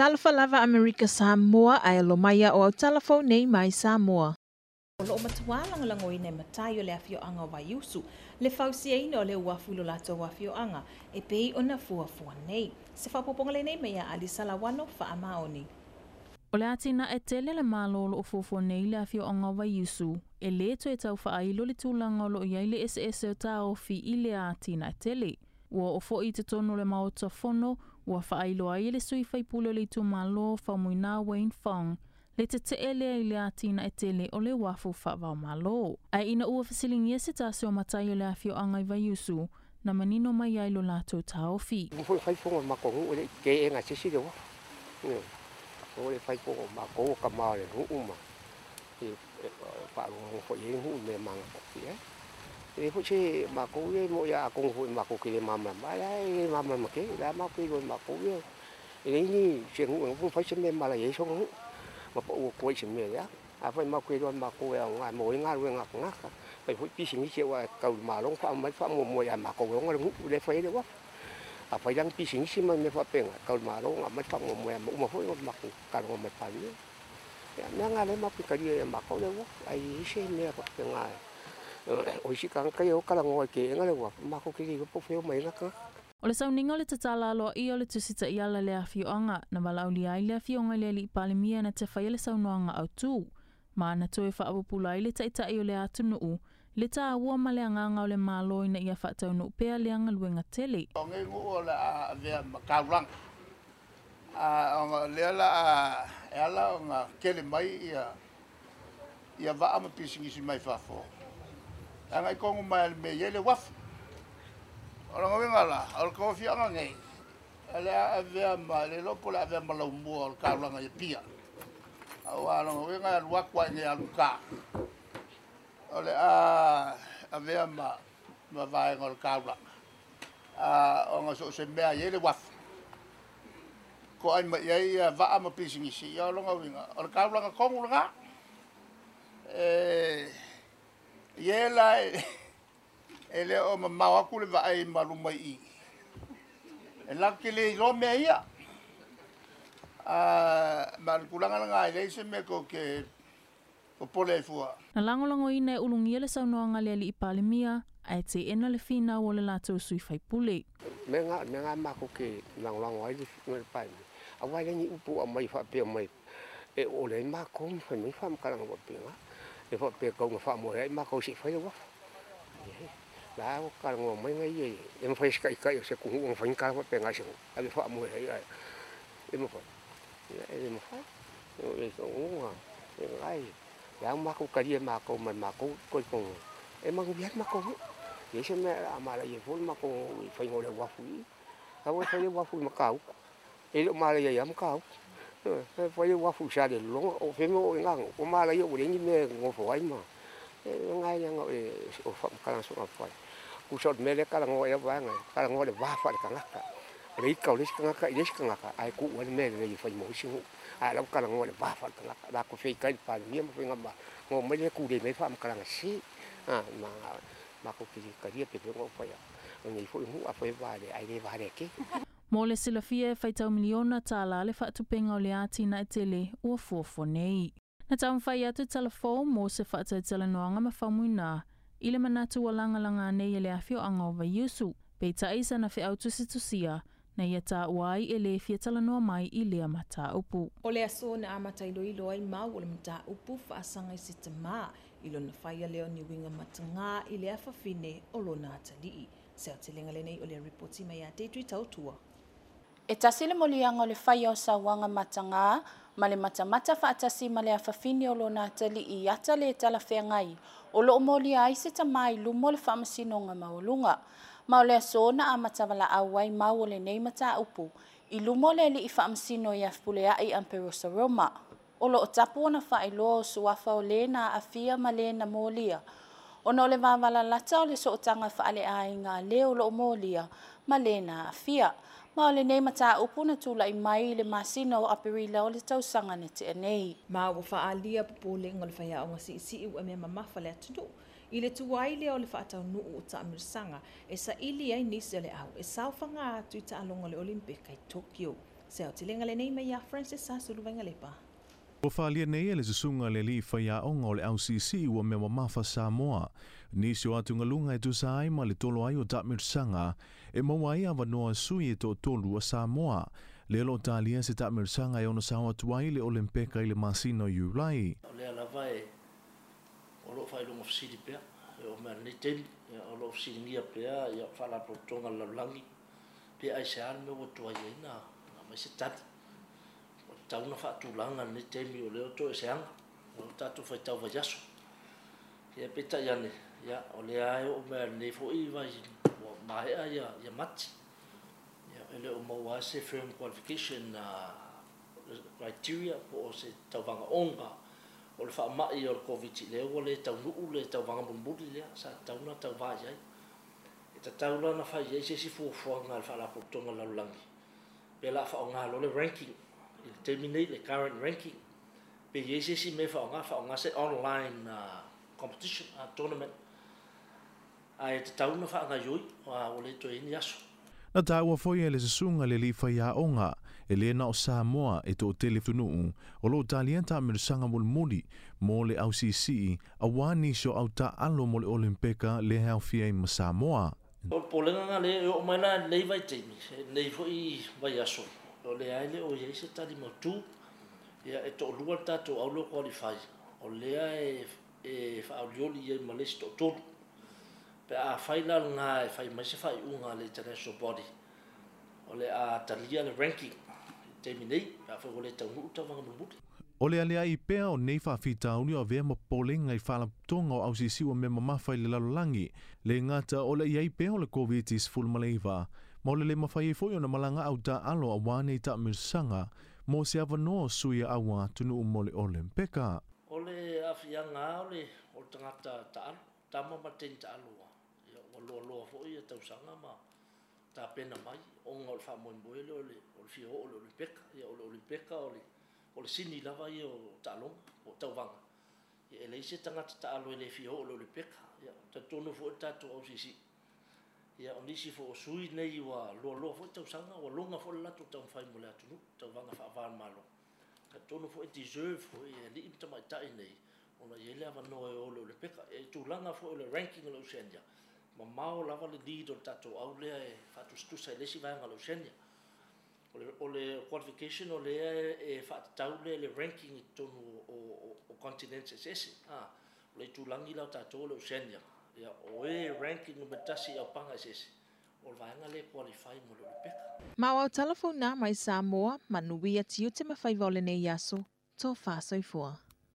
Talofa lava Amerika Samoa ae alo mai o au talafou nei mai Samoa. O loo matuā lagolagoina e matai o le afioaga o Vaiusu le fausiaina o le uafu i lo latou afioaga e pei ona fuafua nei. Se faaopoopoga lenei mai ia Alisa Lawano Faamaoni. O le atinae tele le Malo o loo fuafua nei le afioaga o Vaiusu, e lē toe tau faailo le tulaga o loo i ai le eseese o taofi i lea atinae tele. Ua oo foi i totonu o le Maota Fono, ua faailoa ai e le sui faipule o le itumalo Faumuina Wayne Fong le tetee lea i le atinae tele o le uafu faava-o-Malo. Ae ina ua fesiligia se tasi o matai o le afioaga i Vaiusu, na manino mai ai lo latou taofi. Ua foi fai fono ma matou nuu e le i teena e se isi le uafu. Ua le fai fono matou o tama o le nuu ma faalogologo foi i ai le nuu i mea e magatafia ai. E leai foi se matou ia e mo'i atonu foi matou te le malamalama ai, ae le malamalama tele. O le a matou te iloa e matou ia, e leai ni se nuu e nofo ma fai se mea e malaia ai sona nuu ma pau atu ai i se mea leaga. Afai matou te iloa e matou e aoga e maua ai galuega a tagata, fai foi pisinisi aua e tatau i le Malo ona faaaumai le faamuamua ia matou e ona le nuu lea e fai ai le uafu. Afai la ni pisinisi ma mea faapena, e tatau i le Malo ona aumai le faamuamua ia uma foi ona matou talanoa ma le Palemia. Ia, mea na lea matou te talia ia matou le uafu, ae leai se mea faapena o isi tagata ia e o talanoa e teena le uafu, matou te le iloa po o fea e omai ai na tagata. O le sauniga o le tatala aloaia o le Tusi Taiala i le afioaga, na valaaulia ai le afioga i le Alii Palemia na te faia le saunoaga autu, ma na toe faapupula ai le Taitai o le atunuu le tāua ma le agaga o le Malo ina ia faataunuu pea lea galuega tele. O nei nuu o le a avea ma taulaga, a ona o lea la a e ala ona tele mai ia vaa ma pisinisi mai fafo, e agai tonu mai lava i le mea e i ai le uafu. O lona uiga la, o le tauafiaga nei, o le a avea ma, le iloa po o le a avea ma laumua o le taulaga i Apia. Aua o lona uiga e alu atu lava i inei alu i uta, o le a avea ma vaega o le taulaga, ona so o se mea e i ai le uafu, toai mai i ai vaa ma pisinisi, ia o lona uiga, o le taulaga tonu lena. E i ai la e le o mamao atu le vaai ma luma i i, e latou te le iloa mea ia. Ma o le tulaga lena e leai se mea tou te popole ai fua. Na lagolagoina e Ulugia le saunoaga a le Alii Palemia, ae teena le finau o le latou sui faipule. Mea na, mea na matou te lagolago ai le Palemia, aua e leai ni upu o aumai faapea mai e ole ai matou ma fai mai faamatalaga faapena, e faapea e tatau ona faamoe ai matou se i fai le uafu. La ua talanoa mai na ia, e mafai e se taitai o se atunuu ona fai ni tala faapena i se nuu, ave faamoe ai ae e mafai, e le mafai. O le taunuuga e le a matou talia e matou ma le matou talitonuga, e manuia ai le matou nuu. E leai se mea o le a malaia ai fua le matou nuu i le faiga o le uafu i i. Aua e fai le uafu i Matautu, e le o malaia ai lava Matautu. E fai le uafu i Salelologa, o fea le mea o oo ai na nuu, ua malaia ua leai ni mea e nonofo ai ma e leaga o faamatalaga soona fai. Tusa o le mea lea e talanoa i ai vaega, e talanoa i le va faale-tagata. O le ita o le isi tagata i le isi tagata, ae tuu ai le mea lelei e fai mo isi nuu. Ae o la ua talanoa i le va faale-tagata. O la ua feitai le Palemia ma Faigamalo, ona omai lea tulei mai faamatalaga sese. Ma matou te le talia pe ona ou fai atu. O lenei foi nuu a fai e valea, ae le valea tele. Mo le silafia e faitau $1 miliona le faatupeina o le atinae tele ua fuafua nei. Na taumafai atu Talafou mo se faatalatalanoaga ma Faumuina i le manatu ua lagalaga nei e le afioaga o Vaiusu, peitai sana feau tusitusia na ia taua ai e lē fia talanoa mai i lea mataupu. O le aso na amata iloilo ai mau o le mataupu faasaga i se tamā i lona faia lea o ni uiga matagā i le afafine o lona atalii. Se aotelega lenei o le ripoti mai ia Deidre Tautua. E tasi le moliaga o le faia o sauaga matagā ma le matamata faatasi ma le afafine o lona atalii i ata lē talafeagai o loo molia ai se tamā i luma o le Faamasinoga Maualuga. Ma o le aso na amata valaau ai mau o lenei mataupu i luma o le alii faamasino ia Fepuleai Amperosa Roma. O loo tapu ona faailoa o suafa o lē na aafia ma lē na molia, ona o le vavalalata o le sootaga faaleaiga a lē o loo molia ma lē na aafia. Ma o lenei mataupu na tulai mai i le masina o Aperila o le tausaga na tea nei. Ma ua faaalia popolega o le faiaoga siisii ua mea mamafa le atunuu i le tuai lea o le faataunuu o taamilosaga e saili ai nisi o le au e saofaga atu i taaloga o le Olimpeka i Tokyo. Se aotelega lenei mai ia Francis Sasulu Vaigalepa. Ua faaalia nei e le susuga i le alii faiaoga o le AUCC ua mea mamafa Samoa nisi o atugaluga e tusa ai ma le tolo ai o taamilosaga e maua ai avanoa sui e toatolu a Samoa. Lea o loo talia se taamilosaga e ono sao atu ai le Olimpeka i le masina o Iulai. O lea lava e o loo faailoga fesili pea e oo mai lenei taimi, o loo fesiligia pea ia faalapotopotoga a le lalolagi pe aisea le mea ua tuai ai na aumai se tali. Ua tatau ona faatulaga lenei taimi o lea ua toeseaga o tatou faitau vaiaso. Ia peitai ane, ia o lea e oo mai lenei foi vai ua maea ia Mati. Ia e le o maua se firm qualification criteria po o se tauvaga onga o le faamai o le Koviti lea ua le taunuu le tauvaga mulimuli lea sa tatau ona tauvā i ai. E tatau la ona fai ai se isi fuafuaga a le faalapotopotoga o le lalolagi pe o le a faaaoga loa le ranking i le taimi nei, le current ranking, pe i ai se isi mea e faaaoga se online competition, tournament, ae tatau ona faagaoioi ua le toe i ai ni aso. Na taua foi e le susuga i le alii faiaoga e lē na o Samoa e toatele atunuu o loo talia taamilosaga mulimuli mo le AUCC auā nisi o autaaalo mo le Olimpeka lea e aofia ai ma Samoa. O le popolega lena lea e oo mai la i lenei vaitaimi, lenei foi vaiaso, o lea e le o i ai se tali mautū. Ia e toalua le tatou au lea ua qualify, o lea e faaolioli i ai ma le isi toatolu. Pe a fai la lena e fai mai se faaiuga a le international body, o le a talia le ranking i le taimi nei, pe afai ua le taunuu le tauvaga mulimuli. O le aliae pea o nei faafitauli o avea ma popolega i faalapotopotoga o AUCC ua mea mamafa i le lalolagi, le gata o le i ai pea o le Koviti-19, ma o le le mafai ai foi ona malaga autaaalo auā nei taamilosaga mo se avanoa o sui a auā atunuu mo le Olimpeka. O le aafiaga lava o le tagata taalo, tama ma le teine taalo ua loaloa foi ia tausaga ma tapena mai ona o le faamoemoe lea o le fia oo i le Olimpeka. Ia o le Olimpeka o le sini lava ia o taaloga po o tauvaga. Ia e leai se tagata taalo e le fia oo i le Olimpeka. Ia talitonu foi le tatou AUCC. Ia o nisi foi o sui nei ua loaloa foi tausaga, ua loga foi le latou taumafai mo le atunuu, tauvaga faava-o-Malo. Talitonu foi deserve foi e alii ma tamaitai nei ona i ai le avanoa e o i le Olimpeka. E tulaga foi o le ranking o le Oceania, mamao lava le lead o le tatou au lea e faatusatusa i le isi vaega o le Oceania. O le qualification o lea e faatatau lea i le ranking i totonu o continents eseese. O le itulagi la o tatou o le Oceania, ia o e ranking numera 1 i aupaga eseese, o le vaega lea e qualify mo le Olimpeka. Ma o au talafou na mai Samoa, manuia tiute ma faiva o lenei aso, tofa soifua.